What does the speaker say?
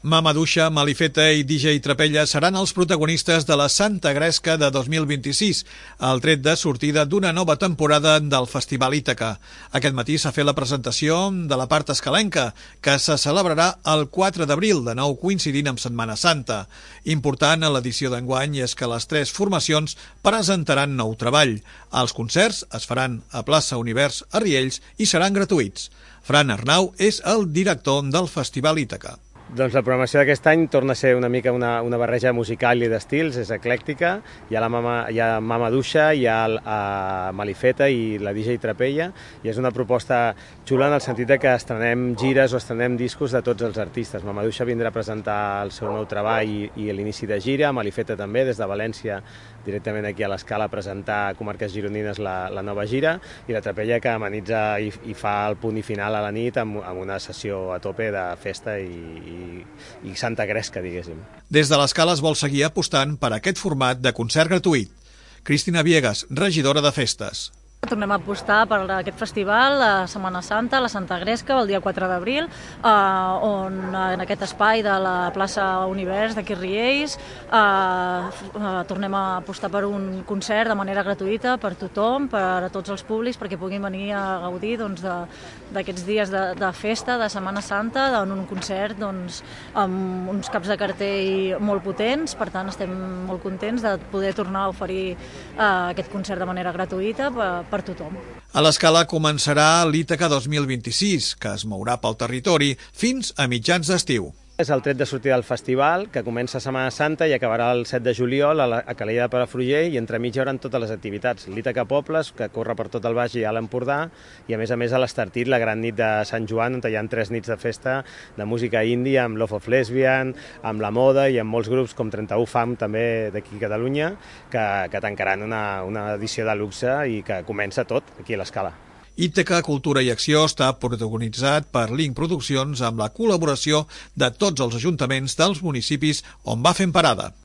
Mamaduixa, Malifeta i DJ Trapella seran els protagonistes de la Santa Gresca de 2026, el tret de sortida d'una nova temporada del Festival Ítaca. Aquest matí s'ha fet la presentació de la part escalenca, que se celebrarà el 4 d'abril, de nou coincidint amb Setmana Santa. Important a l'edició d'enguany és que les tres formacions presentaran nou treball. Els concerts es faran a Plaça Univers a Riells i seran gratuïts. Fran Arnau és el director del Festival Ítaca. Doncs la programació d'aquest any torna a ser una mica una barreja musical i d'estils, és eclèctica. Hi ha Mamaduixa, hi ha Malifeta i la DJ Trapella, i és una proposta xula en el sentit que estrenem gires o estrenem discos de tots els artistes. Mamaduixa vindrà a presentar el seu nou treball i l'inici de gira, Malifeta també, des de València, directament aquí a l'Escala, a presentar Comarques Gironines la nova gira, i la Trapella que amenitza i fa el punt i final a la nit amb una sessió a tope de festa i Santa Gresca, diguéssim. Des de l'Escala es vol seguir apostant per aquest format de concert gratuït. Cristina Viegas, regidora de Festes. Tornem a apostar per aquest festival, la Setmana Santa, la Santa Gresca, el dia 4 d'abril, on en aquest espai de la plaça Univers d'aquí Riells tornem a apostar per un concert de manera gratuïta per tothom, per a tots els públics, perquè puguin venir a gaudir d'aquests dies de festa, de Setmana Santa, en un concert amb uns caps de cartell molt potents. Per tant, estem molt contents de poder tornar a oferir aquest concert de manera gratuïta per tothom. A l'Escala començarà l'Ítaca 2026, que es mourà pel territori fins a mitjans d'estiu. És el tret de sortida del festival, que comença a Setmana Santa i acabarà el 7 de juliol a Calella de Palafrugell, i entremig hi haurà totes les activitats. L'Ítaca Pobles, que corre per tot el Baix i a l'Empordà, i a més a l'Estartit, la gran nit de Sant Joan, on hi ha 3 nits de festa de música índia, amb Love of Lesbian, amb La Moda i amb molts grups com 31 Fam, també d'aquí a Catalunya, que tancaran una edició de luxe i que comença tot aquí a l'Escala. Ítaca Cultura i Acció està protagonitzat per Link Produccions amb la col·laboració de tots els ajuntaments dels municipis on va fent parada.